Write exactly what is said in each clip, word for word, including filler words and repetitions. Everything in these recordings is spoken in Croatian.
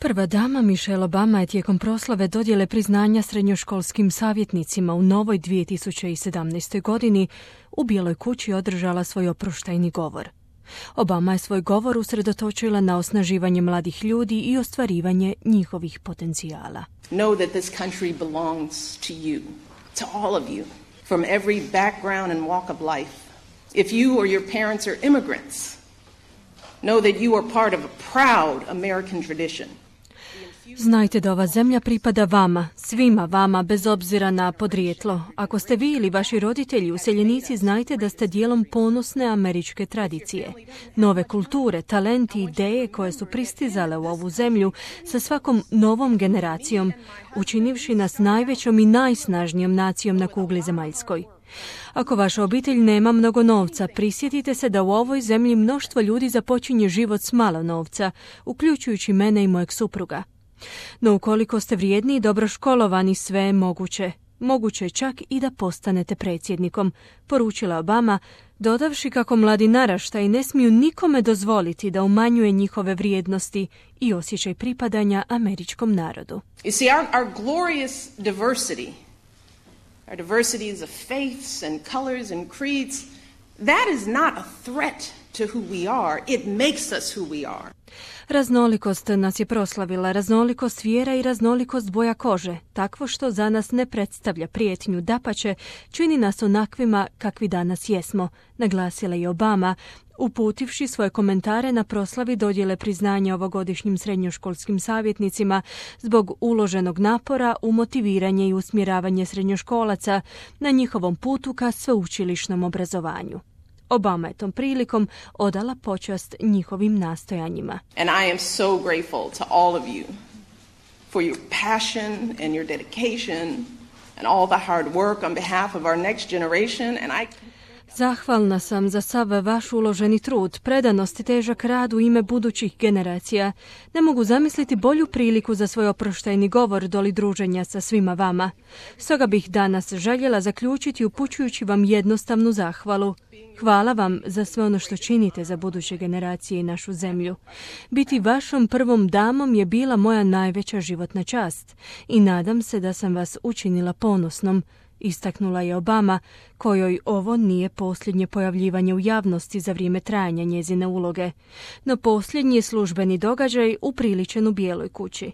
Prva dama Michelle Obama je tijekom proslave dodjele priznanja srednjoškolskim savjetnicima u novoj dvije tisuće sedamnaestoj. godini u Bijeloj kući održala svoj oproštajni govor. Obama je svoj govor usredotočila na osnaživanje mladih ljudi i ostvarivanje njihovih potencijala. Know that this country belongs to you, to all of you, from every background and walk of life. If you or your parents are immigrants, know that you are part of a proud American tradition. Znajte da ova zemlja pripada vama, svima vama, bez obzira na podrijetlo. Ako ste vi ili vaši roditelji useljenici, znajte da ste dijelom ponosne američke tradicije. Nove kulture, talenti i ideje koje su pristizale u ovu zemlju sa svakom novom generacijom, učinivši nas najvećom i najsnažnijom nacijom na kugli zemaljskoj. Ako vaša obitelj nema mnogo novca, prisjetite se da u ovoj zemlji mnoštvo ljudi započinje život s malo novca, uključujući mene i mojeg supruga. No ukoliko ste vrijedni i dobro školovani, sve je moguće. Moguće je čak i da postanete predsjednikom, poručila Obama, dodavši kako mladi naraštaji ne smiju nikome dozvoliti da umanjuje njihove vrijednosti i osjećaj pripadanja američkom narodu. You see, our, our glorious diversity, our diversities of faiths and colors and creeds, that is not a threat to who we are. It makes us who we are. Raznolikost nas je proslavila, raznolikost vjera i raznolikost boja kože, takvo što za nas ne predstavlja prijetnju, dapače, čini nas onakvima kakvi danas jesmo, naglasila je Obama, uputivši svoje komentare na proslavi dodjele priznanja ovogodišnjim srednjoškolskim savjetnicima zbog uloženog napora u motiviranje i usmjeravanje srednjoškolaca na njihovom putu ka sveučilišnom obrazovanju. Obama je tom prilikom odala počast njihovim nastojanjima. And I am so grateful to all of you for your passion and your dedication and all the hard work on behalf of our next generation, and I Zahvalna sam za sav vaš uloženi trud, predanost i težak rad u ime budućih generacija. Ne mogu zamisliti bolju priliku za svoj oproštajni govor doli druženja sa svima vama. Stoga bih danas željela zaključiti upućujući vam jednostavnu zahvalu. Hvala vam za sve ono što činite za buduće generacije i našu zemlju. Biti vašom prvom damom je bila moja najveća životna čast i nadam se da sam vas učinila ponosnom, istaknula je Obama, kojoj ovo nije posljednje pojavljivanje u javnosti za vrijeme trajanja njezine uloge, no posljednji je službeni događaj upriličen u Bijeloj kući.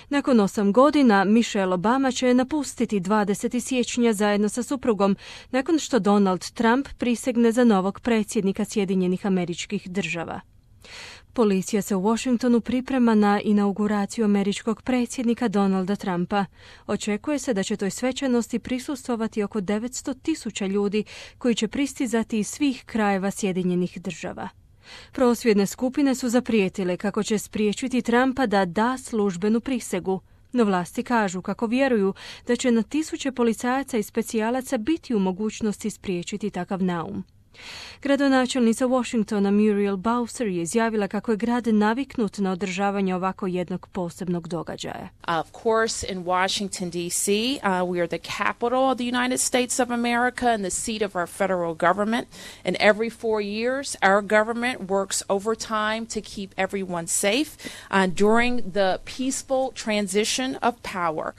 Nakon osam godina Michelle Obama će napustiti dvadesetog siječnja zajedno sa suprugom nakon što Donald Trump prisegne za novog predsjednika Sjedinjenih Američkih Država. Policija se u Washingtonu priprema na inauguraciju američkog predsjednika Donalda Trumpa. Očekuje se da će toj svečanosti prisustvovati oko devetsto tisuća ljudi koji će pristizati iz svih krajeva Sjedinjenih Država. Prosvjedne skupine su zaprijetile kako će spriječiti Trumpa da da službenu prisegu, no vlasti kažu kako vjeruju da će na tisuće policajaca i specijalaca biti u mogućnosti spriječiti takav naum. Gradonačelnica Washingtona Muriel Bowser je izjavila kako je grad naviknut na održavanje ovako jednog posebnog događaja. Of course, in Washington, D C, uh, we are the capital of the United States of America and the seat of our federal government. And every four years, our government works overtime to keep everyone safe uh, during the peaceful transition of power.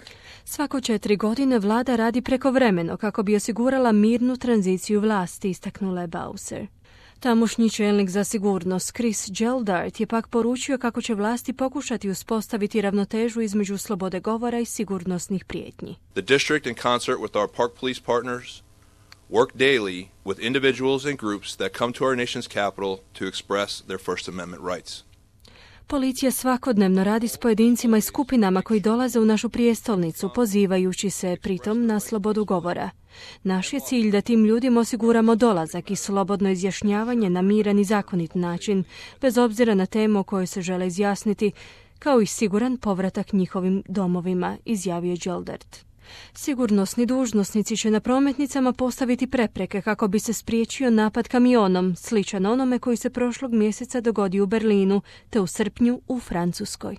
Svako četiri godine vlada radi prekovremeno kako bi osigurala mirnu tranziciju vlasti, istaknula je Bowser. Tamošnji čelnik za sigurnost Chris Geldart je pak poručio kako će vlasti pokušati uspostaviti ravnotežu između slobode govora i sigurnosnih prijetnji. The district in concert with our park police partners work daily with individuals and groups that come to our nation's capital to express their First Amendment rights. Policija svakodnevno radi s pojedincima i skupinama koji dolaze u našu prijestolnicu, pozivajući se pritom na slobodu govora. Naš je cilj da tim ljudima osiguramo dolazak i slobodno izjašnjavanje na miran i zakonit način, bez obzira na temu o kojoj se žele izjasniti, kao i siguran povratak njihovim domovima, izjavio Geldart. Sigurnosni dužnosnici će na prometnicama postaviti prepreke kako bi se spriječio napad kamionom, sličan onome koji se prošlog mjeseca dogodio u Berlinu, te u srpnju u Francuskoj.